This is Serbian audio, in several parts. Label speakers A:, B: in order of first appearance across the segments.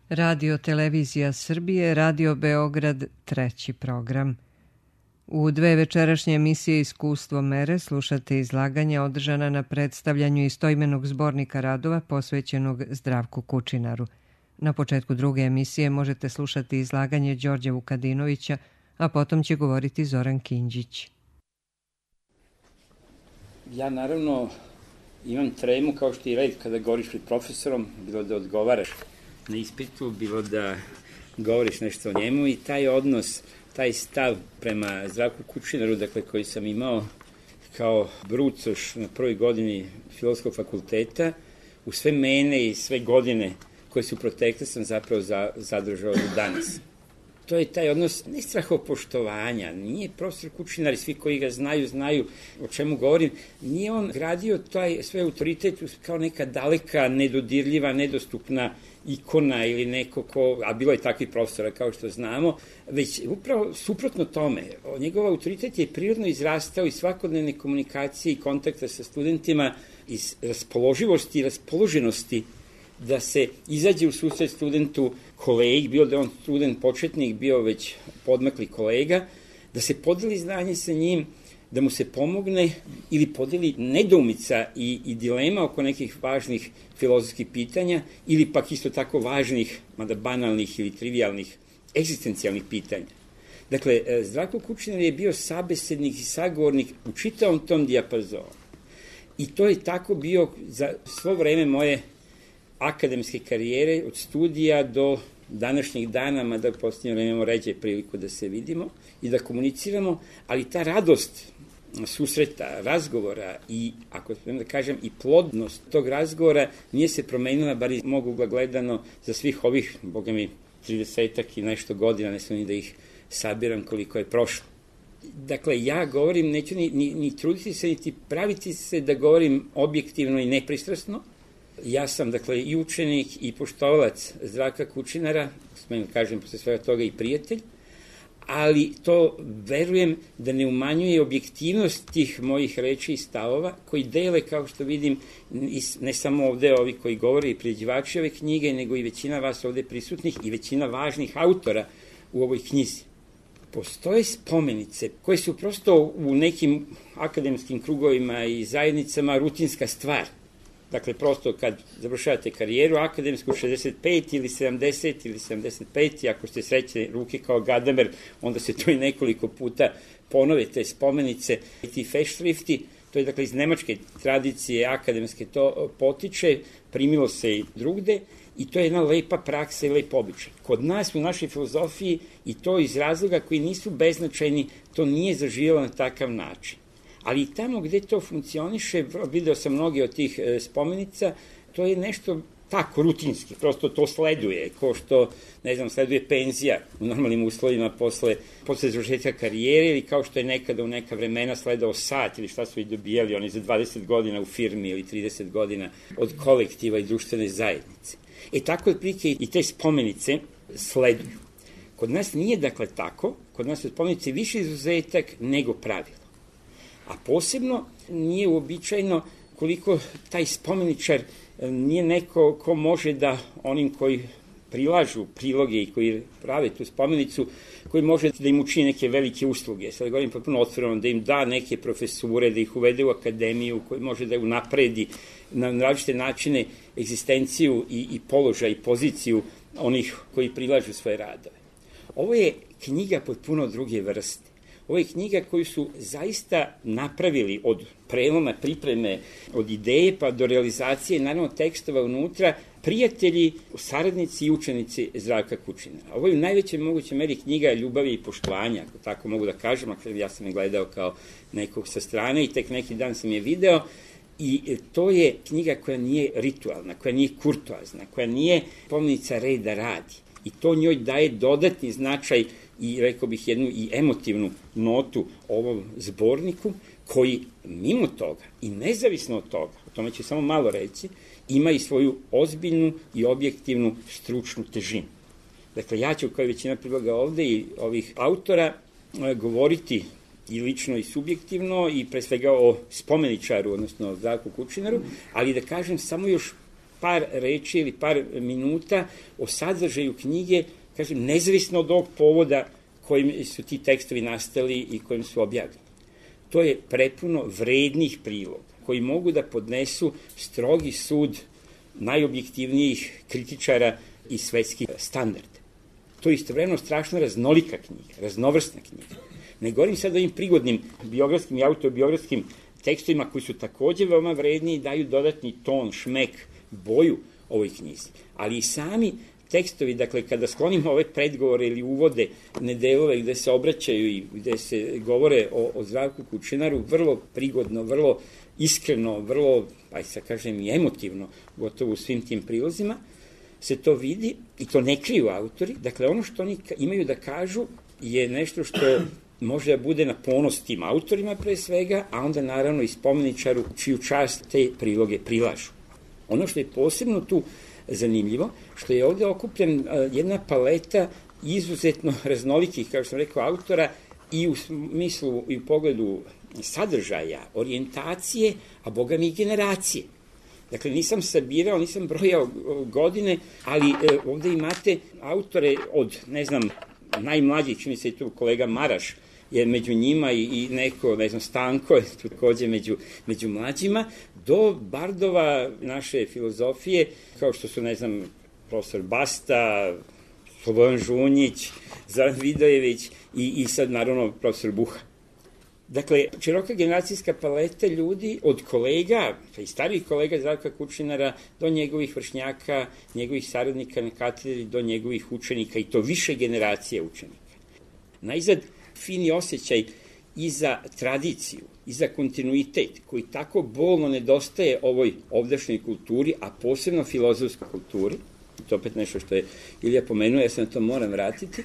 A: Radio Televizija Srbije, Radio Beograd, treći program. U dve večerašnje emisije Iskustvo mere slušate izlaganja održana na predstavljanju istoimenog zbornika radova posvećenog Zdravku Kučinaru. Na početku druge emisije možete slušati izlaganje Đorđa Vukadinovića, a potom će govoriti Zoran Kinđić.
B: Ja naravno imam tremu kao što i red kada govoriš pred profesorom, bilo da odgovaraš na ispitu, bilo da govoriš nešto o njemu i taj odnos, taj stav prema Zdravku Kučinaru, dakle, koji sam imao kao brucoš na prvoj godini Filozofskog fakulteta, u sve mene i sve godine koje su protekle sam zapravo zadržao do danas. To je taj odnos ne strahopoštovanja, nije profesor Kučinar i svi koji ga znaju o čemu govorim, nije on gradio taj svoj autoritet kao neka daleka, nedodirljiva, nedostupna ikona ili neko ko, a bilo je takvih profesora kao što znamo, već upravo suprotno tome. Njegov autoritet je prirodno izrastao iz svakodnevne komunikacije i kontakta sa studentima, iz raspoloživosti i raspoloženosti da se izađe u susret studentu kolegi, bilo da je on student početnik, bio već podmakli kolega, da se podeli znanje sa njim, da mu se pomogne ili podeli nedoumica i dilema oko nekih važnih filozofskih pitanja ili pak isto tako važnih, mada banalnih ili trivialnih, egzistencijalnih pitanja. Dakle, Zdravko Kučinar je bio sabesednik i sagovornik u čitavom tom dijapazonu. I to je tako bio za svo vreme moje akademske karijere, od studija do današnjih dana, mada u posljednje vreme imamo ređe priliku da se vidimo i da komuniciramo, ali ta radost susreta, razgovora i, ako smijem da kažem, i plodnost tog razgovora nije se promenila, bar iz mog ugla gledano, za svih ovih, boga mi, 30-ak i nešto godina, ne sam ni da ih sabiram koliko je prošlo. Dakle, ja govorim, neću ni truditi se, niti praviti se da govorim objektivno i nepristrasno. Ja sam, dakle, i učenik i poštovalac Zdravka Kučinara, smijem da kažem posle svega toga i prijatelj, ali to verujem da ne umanjuje objektivnost tih mojih reči i stavova koji dele, kao što vidim, ne samo ovde ovi koji govore i priređivači ove knjige, nego i većina vas ovde prisutnih i većina važnih autora u ovoj knjizi. Postoje spomenice koje su prosto u nekim akademskim krugovima i zajednicama rutinska stvar. Dakle, prosto kad završavate karijeru akademsku 65 ili 70 ili 75, i ako ste srećne ruke kao Gadamer, onda se to i nekoliko puta ponove te spomenice i ti feštrifti. To je, dakle, iz nemačke tradicije akademske to potiče, primilo se i drugde i to je jedna lepa praksa i lep običaj. Kod nas u našoj filozofiji i to iz razloga koji nisu beznačajni, to nije zaživjelo na takav način. Ali i tamo gde to funkcioniše, video sam mnoge od tih spomenica, to je nešto tako rutinski, prosto to sleduje, kao što, ne znam, sleduje penzija u normalnim uslovima posle završetka karijere ili kao što je nekada u neka vremena sledao sat ili šta su i dobijali oni za 20 godina u firmi ili 30 godina od kolektiva i društvene zajednice. Tako otprilike i te spomenice sleduju. Kod nas nije, dakle, tako, kod nas su spomenice više izuzetak nego pravilo. A posebno nije uobičajeno koliko taj spomeničar nije neko ko može da onim koji prilažu priloge i koji prave tu spomenicu, koji može da im učini neke velike usluge. Sada govorim potpuno otvoreno, da im da neke profesure, da ih uvede u akademiju, koji može da unapredi na različite načine egzistenciju i položaj i poziciju onih koji prilažu svoje radove. Ovo je knjiga potpuno druge vrste. Ovo je knjiga koju su zaista napravili od preloma, pripreme, od ideje pa do realizacije, naravno tekstova unutra, prijatelji, saradnici i učenici Zdravka Kučinara. Ovo je u najvećoj mogućoj meri knjiga ljubavi i poštovanja, ako tako mogu da kažem, ako ja sam je gledao kao nekog sa strane i tek neki dan sam je video. I to je knjiga koja nije ritualna, koja nije kurtoazna, koja nije pomenica reda radi. I to njoj daje dodatni značaj i, rekao bih, jednu i emotivnu notu ovom zborniku, koji mimo toga i nezavisno od toga, o tome ću samo malo reći, ima i svoju ozbiljnu i objektivnu stručnu težinu. Dakle, ja ću, kao i većina priloga ovde i ovih autora, govoriti i lično i subjektivno i pre svega o spomeničaru, odnosno o Zdravku Kučinaru, ali da kažem samo još par reči ili par minuta o sadržaju knjige, kažem, nezavisno od ovog povoda kojim su ti tekstovi nastali i kojim su objavljeni. To je prepuno vrednih priloga koji mogu da podnesu strogi sud najobjektivnijih kritičara i svetskih standarda. To je istovremeno strašno raznolika knjiga, raznovrsna knjiga. Ne govorim sad o ovim prigodnim biografskim i autobiografskim tekstovima koji su takođe veoma vredni i daju dodatni ton, šmek, boju ovoj knjizi. Ali i sami tekstovi, dakle, kada sklonimo ove predgovore ili uvode delove gde se obraćaju i gde se govore o Zdravku Kučinaru, vrlo prigodno, vrlo iskreno, vrlo, sad kažem, i emotivno, gotovo u svim tim prilozima, se to vidi i to ne kriju autori. Dakle, ono što oni imaju da kažu je nešto što može da bude na ponos tim autorima pre svega, a onda naravno i spomeničaru čiju čast te priloge prilažu. Ono što je posebno tu zanimljivo, što je ovde okupljen jedna paleta izuzetno raznolikih, kao što sam rekao, autora i u smislu i u pogledu sadržaja, orijentacije, a boga mi i generacije. Dakle, nisam sabirao, nisam brojao godine, ali ovde imate autore od, ne znam, najmlađih, čini se i tu kolega Maraš, je među njima i neko, ne znam, Stanko je takođe među mlađima, do bardova naše filozofije, kao što su, ne znam, profesor Basta, Slobodan Žunjić, Zoran Vidojević i sad, naravno, profesor Buha. Dakle, široka generacijska paleta ljudi od kolega, pa i starijih kolega Zdravka Kučinara, do njegovih vršnjaka, njegovih saradnika na katedri, do njegovih učenika, i to više generacije učenika. Najzad, fini osjećaj i za tradiciju, i za kontinuitet, koji tako bolno nedostaje ovoj ovdašnjoj kulturi, a posebno filozofskoj kulturi, to opet nešto što je Ilija pomenuo, ja se na to moram vratiti,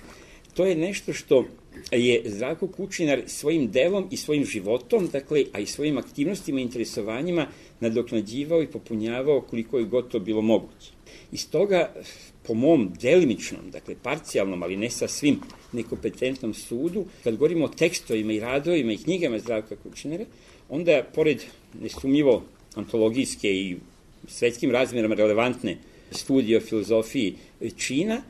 B: to je nešto što je Zdravko Kučinar svojim delom i svojim životom, dakle, a i svojim aktivnostima i interesovanjima nadoknađivao i popunjavao koliko je gotovo bilo moguće. Iz toga, po mom delimičnom, dakle, parcijalnom, ali ne sa svim nekompetentnom sudu, kad govorimo o tekstovima i radovima i knjigama Zdravka Kučinara, onda, pored nesumnjivo antologijske i svetskim razmerama relevantne studije o filozofiji čina,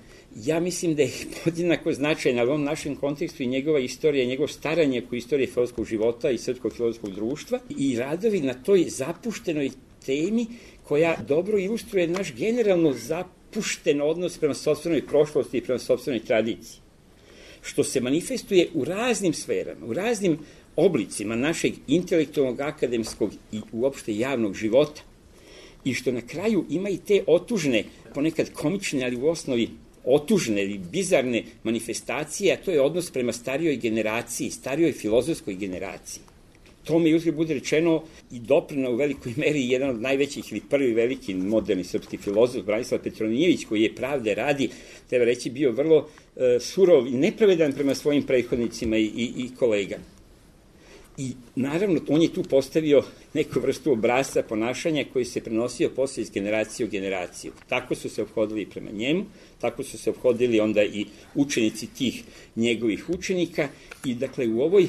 B: ja mislim da je podjednako značajna u ovom našem kontekstu i njegova istorija, njegov staranje oko istorije filozofskog života i srpskog filozofskog društva i radovi na toj zapuštenoj temi koja dobro ilustruje naš generalno zapušten odnos prema sopstvenoj prošlosti i prema sopstvenoj tradiciji, što se manifestuje u raznim sferama, u raznim oblicima našeg intelektualnog, akademskog i uopšte javnog života, i što na kraju ima i te otužne, ponekad komične, ali u osnovi otužne ili bizarne manifestacije, a to je odnos prema starijoj generaciji, starijoj filozofskoj generaciji. To mi uzgled bude rečeno i doprineo u velikoj meri jedan od najvećih ili prvi veliki moderni srpski filozof, Branislav Petronijević, koji je pravde radi, treba reći, bio vrlo surov i nepravedan prema svojim prethodnicima i kolegama. I naravno, on je tu postavio neku vrstu obrasca ponašanja koji se prenosio posle iz generacije u generaciju. Tako su se ophodili prema njemu, tako su se ophodili onda i učenici tih njegovih učenika i dakle u ovoj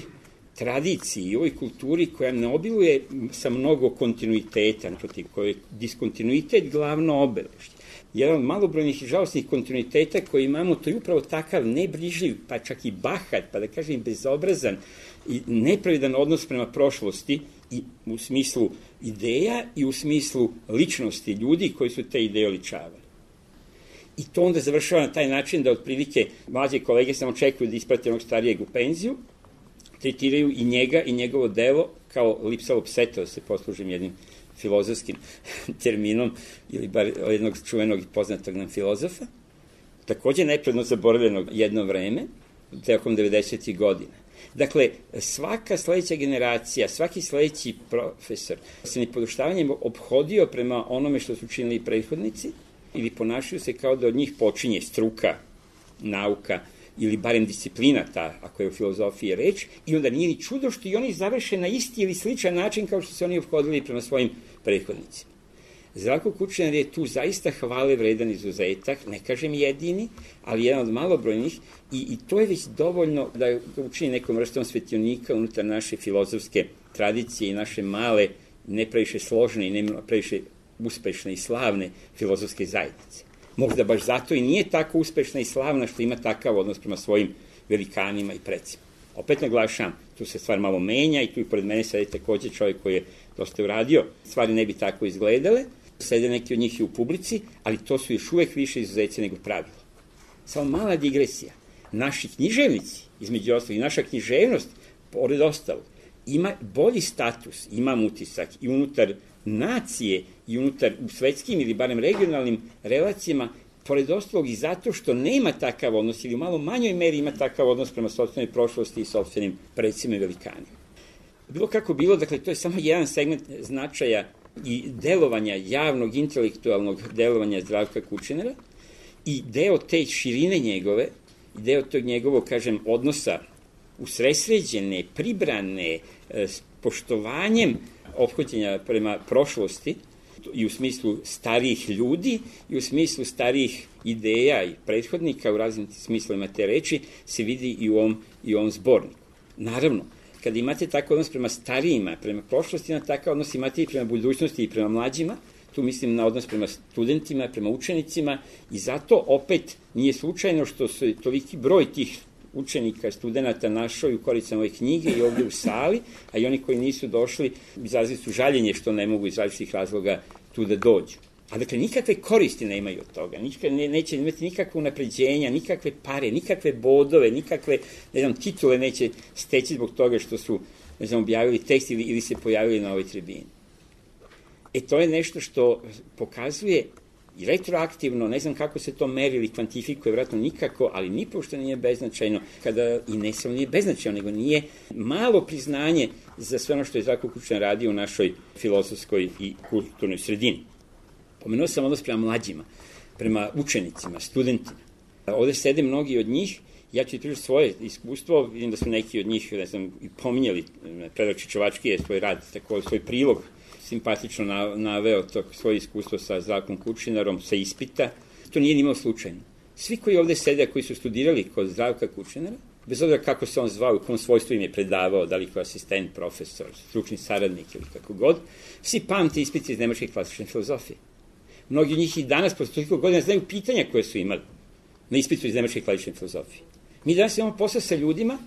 B: tradiciji i ovoj kulturi koja ne obiluje sa mnogo kontinuiteta, naprotiv, koja je diskontinuitet glavno obeležje. Jedan od malobrojnih i žalostnih kontinuiteta koji imamo, to je upravo takav nebrižljiv, pa čak i bahat, pa da kažem bezobrazan i nepravedan odnos prema prošlosti i u smislu ideja i u smislu ličnosti ljudi koji su te ideje oličavali. I to onda završava na taj način da otprilike mlađe kolege samo čekaju da isprate onog starijeg u penziju, tretiraju i njega i njegovo delo kao lipsalopseto, da se poslužim jednim filozofskim terminom ili bar jednog čuvenog i poznatog nam filozofa, takođe nepredno zaboravljenog jedno vreme, tokom 90. godina. Dakle, svaka sledeća generacija, svaki sledeći profesor se nepoduštavanjem ophodio prema onome što su činili prethodnici ili ponašaju se kao da od njih počinje struka, nauka ili barem disciplina ta, ako je u filozofiji reč, i onda nije ni čudo što i oni završe na isti ili sličan način kao što se oni ophodili prema svojim prethodnicima. Zdravko Kučinar je tu zaista hvale vredan izuzetak, ne kažem jedini, ali jedan od malobrojnih i to je već dovoljno da ga učini nekom vrstom svetionika unutar naše filozofske tradicije i naše male, ne previše složene i ne previše uspešne i slavne filozofske zajednice. Možda baš zato i nije tako uspešna i slavna što ima takav odnos prema svojim velikanima i precima. Opet naglašavam, tu se stvar malo menja i tu i pored mene sedi takođe čovjek koji je dosta uradio. Stvari ne bi tako izgledale, sede neki od njih i u publici, ali to su još uvek više izuzeci nego pravilo. Samo mala digresija. Naši književnici, između ostalih, i naša književnost, pored ostalog, ima bolji status, imam utisak, i unutar nacije, i unutar u svetskim ili barem regionalnim relacijama, pored ostalog i zato što nema takav odnos ili u malo manjoj meri ima takav odnos prema sopstvenoj prošlosti i sopstvenim precima i velikanima. Bilo kako bilo, dakle, to je samo jedan segment značaja i delovanja, javnog, intelektualnog delovanja Zdravka Kučinara i deo te širine njegove, i deo tog njegovog, kažem, odnosa usresređene, pribrane, s poštovanjem ophođenja prema prošlosti i u smislu starijih ljudi i u smislu starijih ideja i prethodnika u raznim smislovima te reči se vidi i u ovom zborniku. Naravno, kada imate takav odnos prema starijima, prema prošlosti, na takav odnos imate i prema budućnosti i prema mlađima, tu mislim na odnos prema studentima, prema učenicima i zato opet nije slučajno što su toliki broj tih učenika, studenta našao i u koricama ove knjige i ovdje u sali, a i oni koji nisu došli izrazili su žaljenje što ne mogu iz različitih razloga tu da dođu. A dakle, nikakve koristi nemaju od toga, neće imati nikakve unapređenja, nikakve pare, nikakve bodove, nikakve, titule neće steći zbog toga što su, objavili tekst ili se pojavili na ovoj tribini. To je nešto što pokazuje i retroaktivno, ne znam kako se to meri ili kvantifikuje, vjerojatno nikako, ali nipošto nije beznačajno, kada i ne samo nije beznačajno, nego nije malo priznanje za sve ono što je Zdravko Kučinar radio u našoj filozofskoj i kulturnoj sredini. Pomenuo sam odnos prema mlađima, prema učenicima, studentima. Ovde sede mnogi od njih, ja ću pričati svoje iskustvo, vidim da su neki od njih, i pominjali, Predrag Čičevački je svoj rad, tako svoj prilog, simpatično naveo to svoje iskustvo sa Zdravkom Kučinarom, sa ispita. To nije nimalo slučajno. Svi koji ovde sede, koji su studirali kod Zdravka Kučinara, bez obzira kako se on zvao, u kom svojstvu im je predavao, da li kao asistent, profesor, stručni saradnik ili kako god, svi pamte ispiti iz nemačke klasične filozofije. Mnogi od njih i danas, posle toliko godina, znaju pitanja koje su imali na ispitu iz nemačke klasične filozofije. Mi danas imamo posao sa ljudima,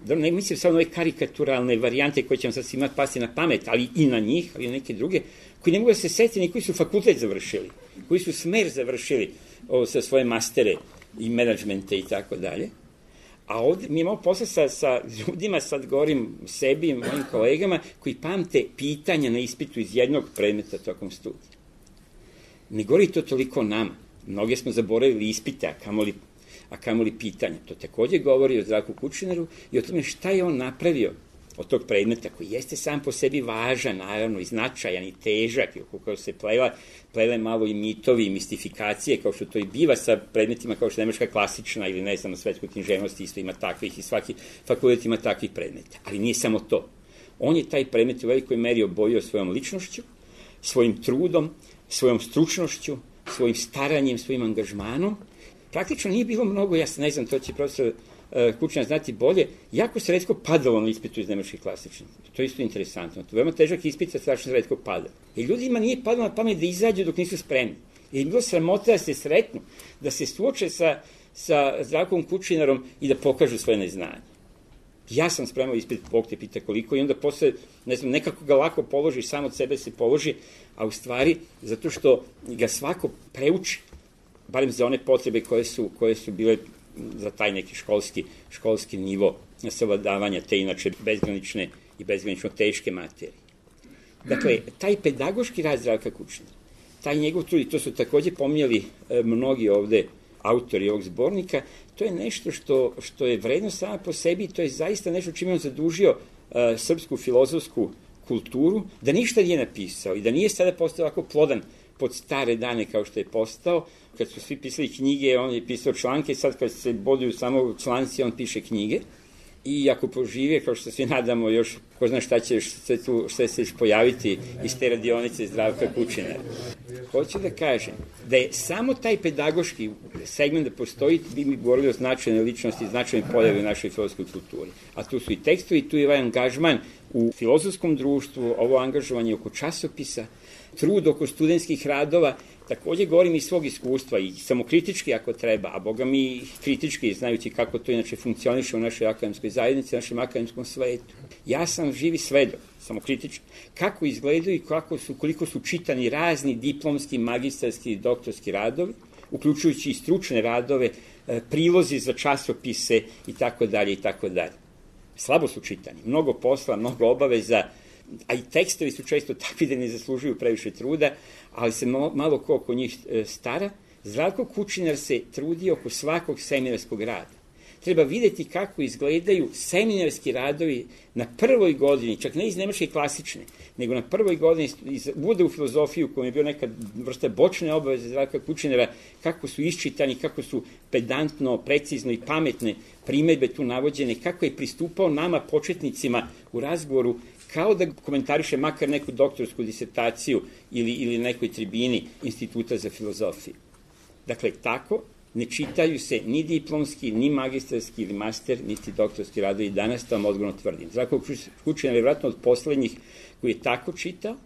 B: da ne mislim samo na ove karikaturalne varijante koje će vam sad svima pasti na pamet, ali i na njih, ali i na neke druge, koji ne mogu da se seti ni koji su fakultet završili, koji su smer završili sa svoje mastere i menadžmente i tako dalje. A ovde mi imamo posla sa ljudima, sad govorim sebi i mojim kolegama, koji pamte pitanja na ispitu iz jednog predmeta tokom studija. Ne govori to toliko o nama. Mnoge smo zaboravili ispite, a kamoli pitanja. To takođe govori o Zdravku Kučinaru i o tome šta je on napravio od tog predmeta, koji jeste sam po sebi važan, naravno, i značajan, i težak, i kako se plele malo i mitovi i mistifikacije, kao što to i biva sa predmetima kao što je nemačka klasična ili, ne znam, na svetskoj književnosti isto ima takvih i svaki fakultet ima takvih predmeta. Ali nije samo to. On je taj predmet u velikoj meri obojio svojom ličnošću, svojim trudom, svojom stručnošću, svojim staranjem, svojim angažmanom. Praktično nije bilo mnogo, ja ne znam, to će profesor Kučinar znati bolje, jako se retko padalo na ispitu iz nemačke klasične. To je isto interesantno. To je veoma težak ispit, a strašno se retko pada. Jer ljudima nije padalo na pamet da izađu dok nisu spremni. Jer je bilo sramota da se sretnu, da se suoče sa Zdravkom Kučinarom i da pokažu svoje neznanje. Ja sam spremao ispit, Bog te pita koliko, i onda posle, ne znam, nekako ga lako položi, sam od sebe se položi, a u stvari, zato što ga svako preuči, barem za one potrebe koje su bile za taj neki školski nivo savladavanja te inače bezgranične i bezgranično teške materije. Dakle, taj pedagoški rad Zdravka Kučinara, taj njegov trud, i to su takođe pominjali mnogi ovde autori ovog zbornika, to je nešto što je vredno sama po sebi i to je zaista nešto čime on zadužio srpsku filozofsku kulturu, da ništa nije napisao i da nije sada postao ovako plodan pod stare dane kao što je postao. Kad su svi pisali knjige, on je pisao članke, sad kad se boduju samo članci, on piše knjige. I ako požive, kao što se svi nadamo, još ko zna šta će se pojaviti iz te radionice Zdravka Kučinara. Hoću da kažem da je samo taj pedagoški segment da postoji, bi mi govorili o značajnoj ličnosti, značajnoj pojavi u našoj filozofskoj kulturi. A tu su i tekstovi, tu je ovaj angažman u filozofskom društvu, ovo angažovanje oko časopisa, trud oko studentskih radova, takođe govorim iz svog iskustva i samokritički ako treba, a boga mi kritički, znajući kako to inače funkcioniše u našoj akademskoj zajednici, u našem akademskom svetu. Ja sam živi svedok, samokritički, kako izgledaju i koliko su čitani razni diplomski, magistarski i doktorski radovi, uključujući i stručne radove, prilozi za časopise i tako dalje i tako dalje. Slabo su čitani, mnogo posla, mnogo obaveza, a i tekstovi su često takvi da ne zaslužuju previše truda, ali se malo ko oko njih stara. Zdravko Kučinar se trudi oko svakog seminarskog rada. Treba videti kako izgledaju seminarski radovi na prvoj godini, čak ne iz nemačke klasične, nego na prvoj godini iz uvoda u filozofiju, koja je bio neka vrsta bočne obaveze Zdravka Kučinara, kako su iščitani, kako su pedantno, precizno i pametne primedbe tu navođene, kako je pristupao nama početnicima u razgovoru, kao da komentariše makar neku doktorsku disertaciju ili nekoj tribini Instituta za filozofiju. Dakle, tako ne čitaju se ni diplomski, ni magistarski ili master, niti doktorski radovi. Danas to vam odgovorno tvrdim. Zdravko Kučinar je vjerojatno od poslednjih koji je tako čitao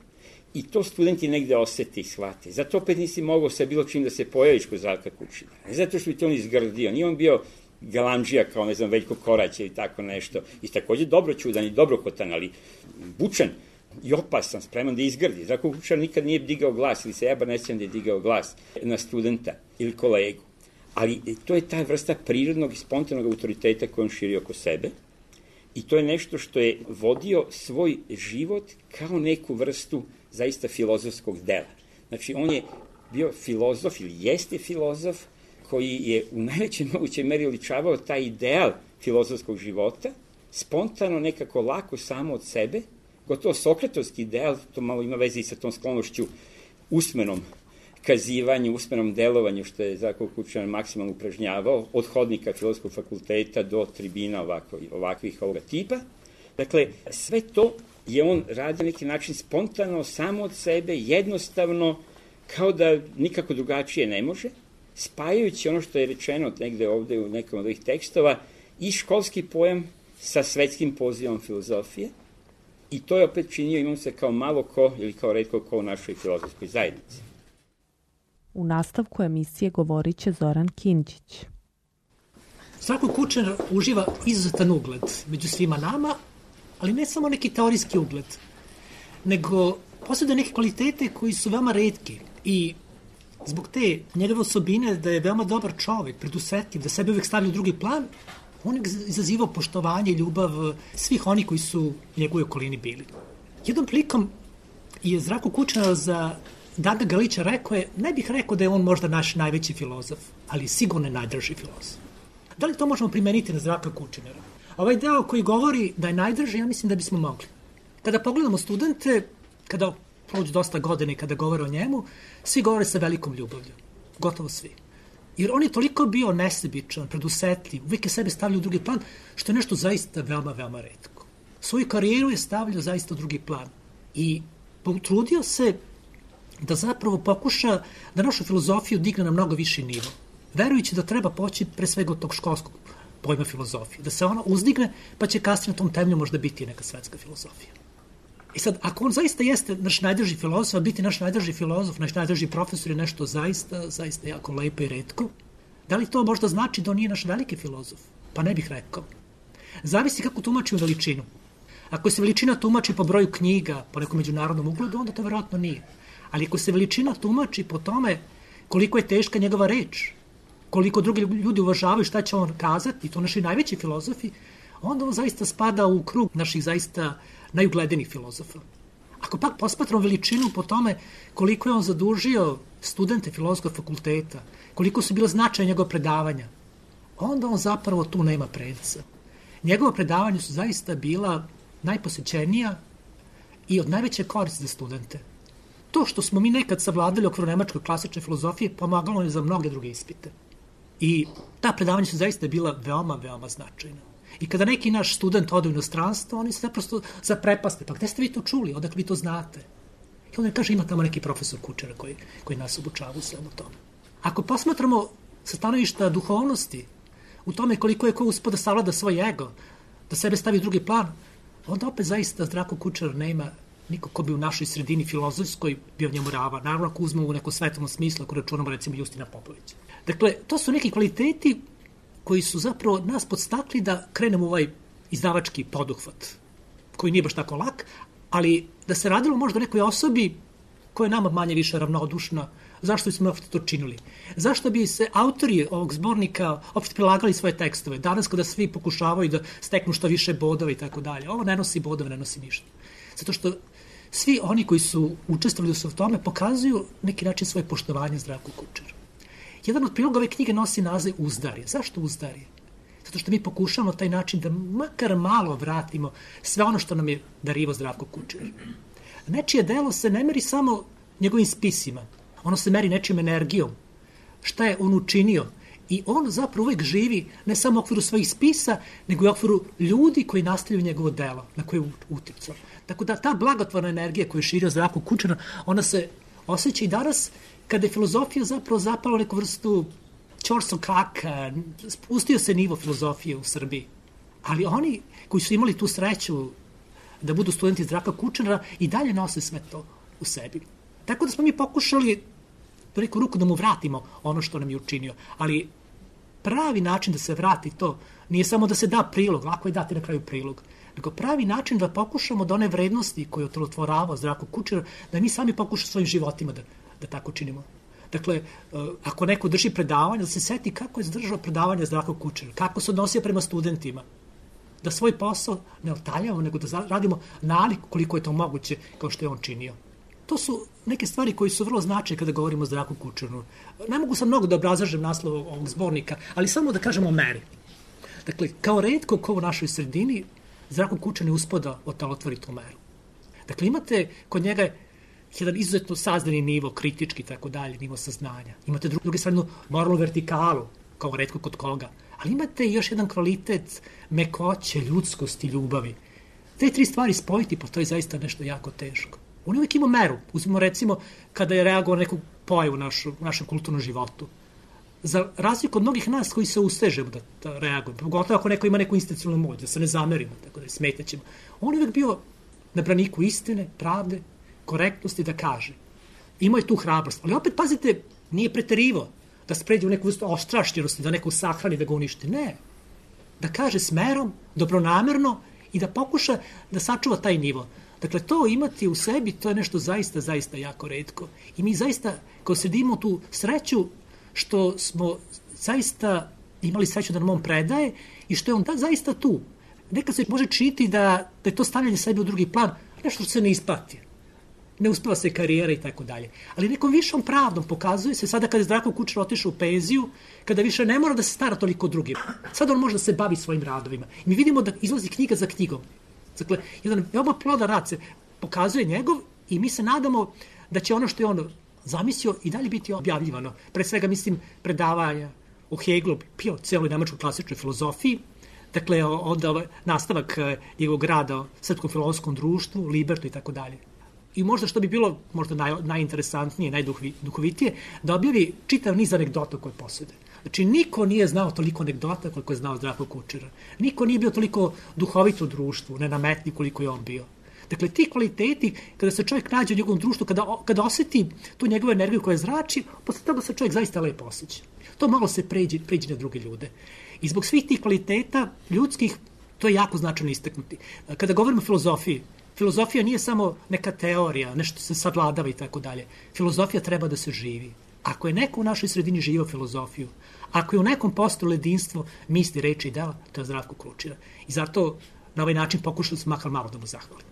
B: i to studenti negde osete i shvate. Zato opet nisi mogao sa bilo čim da se pojaviš kod Zdravka Kučinara. Ne zato što bi to on izgrdio. Nije on bio galamdžija kao, ne znam, Veljko Korać ili tako nešto. I takođe dobroćudan i dobrohotan, ali bučan i opasan, spreman da izgrdi. Zdravko Kučinar nikad nije digao glas, ili se ja bar ne sjećam da je digao glas na studenta ili kolegu. Ali to je ta vrsta prirodnog i spontanog autoriteta koju on širi oko sebe i to je nešto što je vodio svoj život kao neku vrstu zaista filozofskog dela. Znači, on je bio filozof ili jeste filozof koji je u najvećoj mogućoj meri oličavao taj ideal filozofskog života, spontano, nekako lako samo od sebe, gotovo sokratovski ideal, to malo ima veze i sa tom sklonošću usmenom kazivanju, usmenom delovanju, što je Zdravko Kučinar maksimalno upražnjavao, od hodnika Filozofskog fakulteta do tribina ovakvih ovoga tipa. Dakle, sve to je on radio na neki način spontano, samo od sebe, jednostavno, kao da nikako drugačije ne može, spajajući ono što je rečeno negde ovde u nekom od ovih tekstova i školski pojam sa svetskim pozivom filozofije. I to je opet činio, imam se kao malo ko ili kao retko ko u našoj filozofskoj zajednici.
C: U nastavku emisije govorit će Zoran Kinđić.
D: Zdravko Kučinar uživa izuzetan ugled među svima nama, ali ne samo neki teorijski ugled, nego posjeduje neke kvalitete koji su veoma retki i zbog te njegove osobine da je veoma dobar čovek, predusetljiv, da sebe uvek stavlja u drugi plan, on je izazivao poštovanje i ljubav svih oni koji su u njegovoj okolini bili. Jednom prilikom je Zdravko Kučinar za Daga Galića rekao je, ne bih rekao da je on možda naš najveći filozof, ali sigurno je najdrži filozof. Da li to možemo primeniti na Zdravka Kučinara? Ovaj deo koji govori da je najdrži, ja mislim da bismo mogli. Kada pogledamo studente, kada prođu dosta godine i kada govore o njemu, svi govore sa velikom ljubavlju. Gotovo svi. Jer on je toliko bio nesebičan, predusetljiv, uvijek je sebe stavljao u drugi plan, što je nešto zaista veoma, veoma retko. Svoju karijeru je stavljao zaista u drugi plan. I potrudio se da zapravo pokuša da našu filozofiju digne na mnogo viši nivo, verujući da treba poći pre svega od tog školskog pojma filozofije, da se ona uzdigne, pa će kasnije na tom temelju možda biti neka svetska filozofija. I sad, ako on zaista jeste naš najdrži filozof, a biti naš najdrži filozof, naš najdrži profesor je nešto zaista jako lepo i retko, da li to možda znači da on nije naš veliki filozof? Pa ne bih rekao. Zavisi kako tumačimo veličinu. Ako se veličina tumači po broju knjiga, po nekom međunarodnom ugledu, onda to verovatno nije. Ali ako se veličina tumači po tome koliko je teška njegova reč, koliko drugi ljudi uvažavaju šta će on kazati, i to naši najveći filozofi, onda on zaista spada u krug naših zaista najugledenijih filozofa. Ako pak posmatramo veličinu po tome koliko je on zadužio studente filozofskog fakulteta, koliko su bila značaja njegova predavanja, onda on zapravo tu nema predca. Njegova predavanja su zaista bila najposećenija i od najveće koristi za studente. To što smo mi nekad savladali okviru nemačke klasične filozofije pomagalo je za mnoge druge ispite. I ta predavanja su zaista bila veoma, veoma značajna. I kada neki naš student ode u inostranstvo, oni se naprosto zaprepaste. Pa gde ste vi to čuli? Odakle vi to znate? I onda kaže, ima tamo neki profesor Kučera koji nas obučava u svemu tome. Ako posmatramo sa stanovišta duhovnosti, u tome koliko je ko uspio da savlada svoj ego, da sebe stavi u drugi plan, onda opet zaista Zdravko Kučar nema niko ko bi u našoj sredini filozofskoj bio njemu ravan. Naravno, ako uzmemo u neko svetovnom smislu, ako računamo recimo Justina Popovića. Dakle, to su neki kvaliteti koji su zapravo nas podstakli da krenemo u ovaj izdavački poduhvat, koji nije baš tako lak, ali da se radilo možda o nekoj osobi koja je nama manje više ravnodušna. Zašto smo to činili? Zašto bi se autori ovog zbornika opšte prilagali svoje tekstove? Danas kada svi pokušavaju da steknu što više bodova i tako dalje. Ovo ne nosi bodove, ne nosi ništa. Zato što svi oni koji su učestvovali u tome pokazuju neki način svoje poštovanje Zdravku Kučeru. Jedan od priloga ove knjige nosi naziv Uzdarje. Zašto Uzdarje? Zato što mi pokušamo taj način da makar malo vratimo sve ono što nam je darivao Zdravko Kučer. Nečije delo se ne meri samo njegovim spisima. Ono se meri nečijom energijom. Šta je on učinio? I on zapravo uvek živi ne samo u okviru svojih spisa, nego i u okviru ljudi koji nastavljaju njegovo delo, na koje je uticao. Tako da ta blagotvorna energija koju je širio Zdravko Kučer, ona se osjeća i danas kada je filozofija zapravo zapala neku vrstu ćorsokaka, spustio se nivo filozofije u Srbiji. Ali oni koji su imali tu sreću da budu studenti Zdravka Kučera i dalje nose sve to u sebi. Tako da smo mi pokušali do neku ruku da mu vratimo ono što nam je učinio. Ali pravi način da se vrati to nije samo da se da prilog, lako je dati na kraju prilog, nego pravi način da pokušamo da one vrednosti koje je otelotvoravao Zdravko Kučer, da mi sami pokušamo svojim životima da tako činimo. Dakle, ako neko drži predavanje, da se seti kako je zadržao predavanje Zdravko Kučer, kako se odnosio prema studentima, da svoj posao ne otaljamo, nego da radimo nalik koliko je to moguće kao što je on činio. To su neke stvari koji su vrlo značajne kada govorimo o Zdravku Kučeru. Ne mogu sam mnogo da obrazlažem naslov ovog zbornika, ali samo da kažemo o meri. Dakle, kao retko ko u našoj sredini, Zdravko Kučer ne uspeo da otelotvori tu meru. Dakle, imate kod njega jedan izuzetno sazdani nivo, kritički i tako dalje, nivo saznanja. Imate druge strane moralnu vertikalu, kao retko kod koga. Ali imate još jedan kvalitet mekoće, ljudskosti, ljubavi. Te tri stvari spojiti, pa to je zaista nešto jako teško. On uvijek ima meru. Uzmimo recimo kada je reagovao na neku pojavu u našem kulturnom životu. Za razliku od mnogih nas koji se ustežemo da reagujemo, pogotovo ako neko ima neku institucionalnu moć, da se ne zamerimo, tako da smetaćemo. On uvijek bio na braniku istine, pravde, korektnosti da kaže. Imao je tu hrabrost. Ali opet, pazite, nije preterivao da se pređe u neku vrstu ostrašćenosti, da neko sahrani, da ga uništi. Ne. Da kaže smerom, dobronamerno i da pokuša da sačuva taj nivo. Dakle, to imati u sebi, to je nešto zaista, zaista jako retko. I mi zaista, kao sredimo tu sreću, što smo zaista imali sreću da nam on predaje i što je on zaista tu. Nekad se može činiti da je to stavljanje sebe u drugi plan, nešto što se ne isplati. Ne uspeva se karijera i tako dalje. Ali nekom višom pravdom pokazuje se sada kada je Zdravko Kučer otišao u penziju, kada više ne mora da se stara toliko o drugim. Sada on može da se bavi svojim radovima. I mi vidimo da izlazi knjiga za knjigom. Dakle, jedan veoma plodan rad se pokazuje njegov i mi se nadamo da će ono što je on zamislio i dalje biti objavljivano. Pre svega, mislim, predavanja o Hegelu, o celoj nemačkoj klasičnoj filozofiji, dakle, onda nastavak njegovog rada o Srpskom filozofskom društvu, Libertu i tako dalje. I možda što bi bilo možda najinteresantnije, najduhovitije, da objavi čitav niz anegdota koje posjede. Znači, niko nije znao toliko anegdota koliko je znao Zdravko Kučer. Niko nije bio toliko duhovit u društvu, nenametni koliko je on bio. Dakle, ti kvaliteti, kada se čovjek nađe u njegovom društvu, kada osjeti tu njegovu energiju koja zrači, posle toga se čovjek zaista lepo osjeća. To malo se pređe na druge ljude. I zbog svih tih kvaliteta ljudskih, to je jako značajno istaknuti. Kada govorimo o filozofiji, filozofija nije samo neka teorija, nešto se savladava i tako dalje. Filozofija treba da se živi. Ako je neko u našoj sredini živio filozofiju, ako je u nekom postojalo jedinstvo misli, reči i dela, to je Zdravko Kučer. I zato na ovaj način pokušali smo makar malo da mu zahvalimo.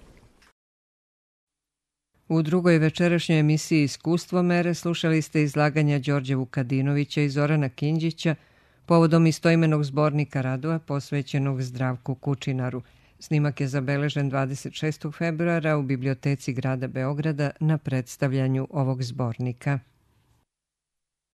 A: U drugoj večerašnjoj emisiji Iskustvo mere slušali ste izlaganja Đorđa Vukadinovića i Zorana Kinđića povodom istoimenog zbornika radova posvećenog Zdravku Kučinaru. Snimak je zabeležen 26. februara u biblioteci grada Beograda na predstavljanju ovog zbornika.